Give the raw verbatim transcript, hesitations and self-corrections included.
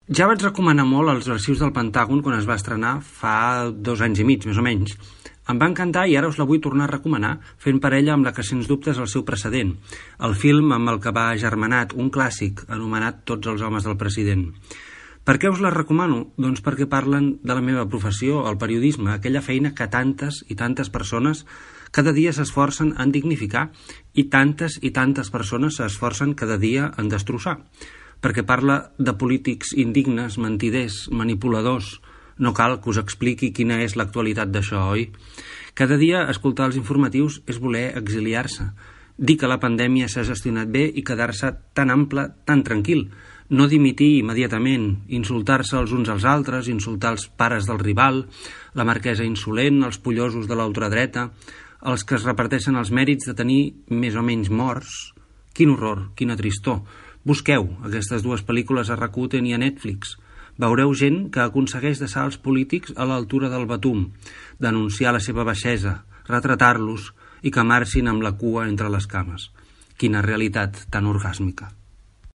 Ja vaig recomanar molt els arxius del Pentàgon quan es va estrenar fa dos anys i mig, més o menys. Em va encantar i ara us la vull tornar a recomanar, fent parella amb la que sens dubte és el seu precedent, el film amb el que va agermanat, un clàssic anomenat Tots els homes del president. Per què us la recomano? Doncs perquè parlen de la meva professió, el periodisme, aquella feina que tantes i tantes persones cada dia s'esforcen en dignificar i tantes i tantes persones s'esforcen cada dia en destrossar. Perquè parla de polítics indignes, mentiders, manipuladors. No cal que us expliqui quina és l'actualitat d'això, oi? Cada dia escoltar els informatius és voler exiliar-se, dir que la pandèmia s'ha gestionat bé i quedar-se tan ample, tan tranquil, no dimitir immediatament, insultar-se els uns als altres, insultar els pares del rival, la marquesa insolent, els pollosos de l'ultradreta, els que es reparteixen els mèrits de tenir més o menys morts. Quin horror, quina tristor. Busqueu aquestes dues pel·lícules a Rakuten i a Netflix. Veureu gent que aconsegueix deixar els polítics a l'altura del batum, denunciar la seva baixesa, retratar-los i que marxin amb la cua entre les cames. Quina realitat tan orgàsmica.